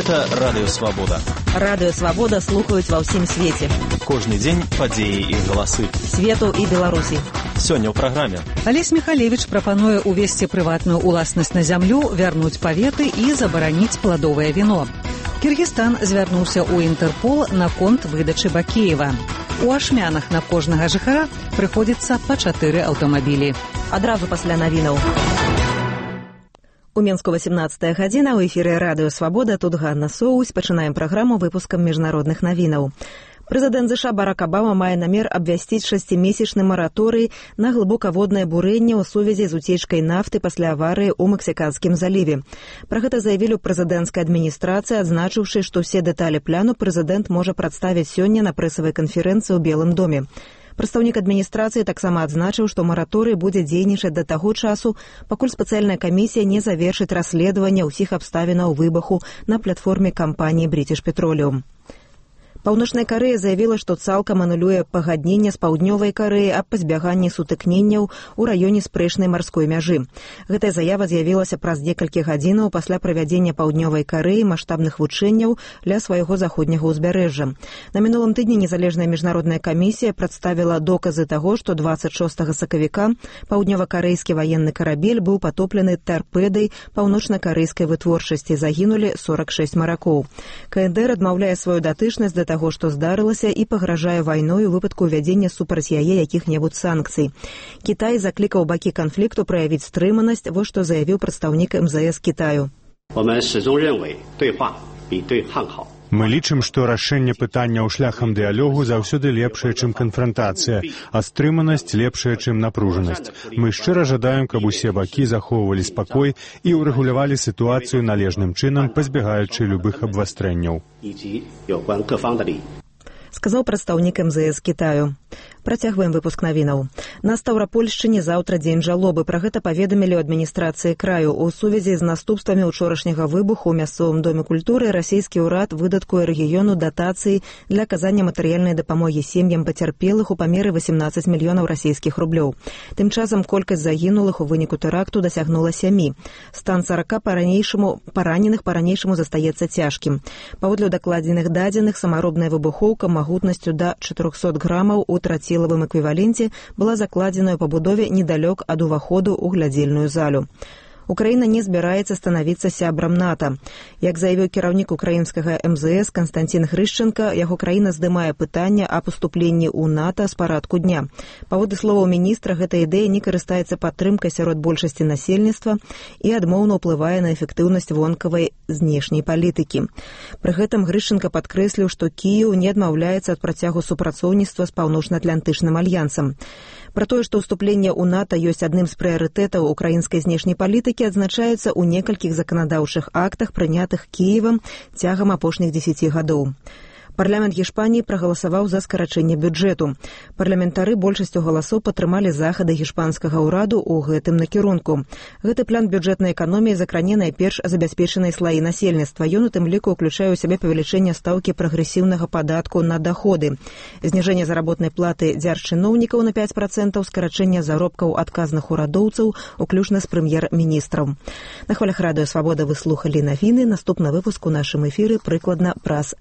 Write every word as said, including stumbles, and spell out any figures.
Гэта Радыё Свабода. Радыё Свабода слухаюць ва ўсім свеце. Кожны дзень падзеі і галасы. Свету і Беларусі. Сёння ў праграме. Алесь Михалевич прапануе увесці прыватную ўласнасць на зямлю, вярнуць паветы і забараніць пладовае віно. Кіргізстан звярнуўся ў Інтэрпол наконт выдачы Бакеева. У Ашмянах на кожнага жыхара прыходзіцца па чатыры аўтамабілі. Адразу пасля навінаў. У Менску васемнаццатая гадзіна, у эфіры Радыё Свабода, тут Ганна Соусь. Пачынаем праграму выпускам міжнародных навінаў. Прэзідэнт ЗША Барак Абама мае намер абвясціць шасцімесячны мараторый на глыбокаводнае бурэнне ў сувязі з уцечкай нафты пасля аварыі ў Мексіканскім заліве. Пра гэта заявілі ў прэзідэнцкай адміністрацыі, адзначыўшы, што ўсе дэталі пляну прэзідэнт можа прадставіць сёння на прэсавай канферэнцыі ў Белым доме. Прадстаўнік адміністрацыі таксама адзначыў, што мараторый будзе дзейнічаць да таго часу, пакуль спецыяльная камісія не завершыць расследаванне ўсіх абставінаў выбуху на платформе кампаніі British Petroleum. Паўночная Карэя заявіла, што цалкам анулюе пагадненне з Паўднёвай Карэяй аб пазбяганні сутыкненняў у раёне спрэчнай марской мяжы. Гэтая заява з'явілася праз некалькі гадзінаў пасля правядзення Паўднёвай Карэі маштабных вучэнняў ля свайго заходняга ўзбярэжжа. На мінулым тыдні незалежная міжнародная камісія прадставіла доказы таго, што дваццаць шостага сакавіка паўднёва-карэйскі ваенны карабель быў патоплены тарпедай паўночна-карэйскай вытворчасці. Загінулі сорак шэсць маракоў. КНДР адмаўляе сваю датычнасць да таго, што здарылася, і пагражае вайной у выпадку ўвядзення супраць яе якіх-небудзь санкцый. Кітай заклікаў бакі канфлікту праявіць стрыманасць, вось што заявіў прадстаўнік эм зэ эс Кітаю. Мы лічым, што рашэнне пытанняў шляхам дыялогу заўсёды лепшае, чым канфрантацыя, а стрыманасць лепшая, чым напружанасць. Мы шчыра жадаем, каб усе бакі захоўвалі спакой і ўрэгулявалі сітуацыю належным чынам, пазбягаючы любых абвастрэнняў. Сказаў прадстаўнік эм зэ эс Кітаю. Працягваем выпуск навінаў. На Стаўрапольшчыне заўтра дзень жалобы. Пра гэта паведамілі ў адміністрацыі краю. У сувязі з наступствамі учорашняга выбуху ў мясцовым доме культуры расійскі ўрад выдаткуе рэгіёну датацыі для аказання матэрыяльнай дапамогі сем'ям пацярпелых у памеры васемнаццаць мільёнаў расійскіх рублёў. Тым часам колькасць загінулых у выніку тэракту дасягнула сямі. Стан сарака па-ранейшаму параненых па-ранейшаму застаецца цяжкім. Паводле дакладзеных дадзеных, самаробная выбухоўка магутнасцю да чатырохсот грамаў у трацілавым эквіваленце была закладзена ў пабудове недалёк ад уваходу ў глядзельную залю. Украіна не збіраецца станавіцца сябрам НАТО. Як заявіў кіраўнік украінскага эм зэ эс Канстантин Грышченка, яго краіна здымае пытанне аб уступленні ў НАТО з парадку дня. Паводле словаў міністра, гэта ідэя не карыстаецца падтрымкай сярод большасці насельніцтва і адмоўна ўплывае на эфектыўнасць вонкавай знешняй палітыкі. Пры гэтым Грышченка падкрэсліў, што Кіеў не адмаўляецца ад працягу супрацоўніцтва з паўночна-атлантычным альянсам. Пра тое, што ўступленне ў НАТО ёсць адным з прыярытэтаў украінскай знешняй палітыкі, адзначаецца ў некалькіх заканадаўчых актах, прынятых Кіевам цягам апошніх дзесяці гадоў. Парламент Гішпаніі прагаласаваў за скарачэнне бюджэту. Парламентары большасцю галасоў падтрымалі захады гішпанскага ўраду ў гэтым накірунку. Гэты план бюджэтнай эканоміі закране найперш забяспечанай слаі насельніцтва. Ён у тым ліку ўключае ў сябе павелічэнне стаўкі прагрэсіўнага падатку на даходы, зніжэнне заработнай платы дзяржчыноўнікаў на пяць працэнтаў, скарачэнне заробкаў адказных урадоўцаў, уключна з прэм'ер-міністраў. На хвалях Радыё Свабода вы слухалі навіны. Наступны выпуск у нашым эфіры прыкладна праз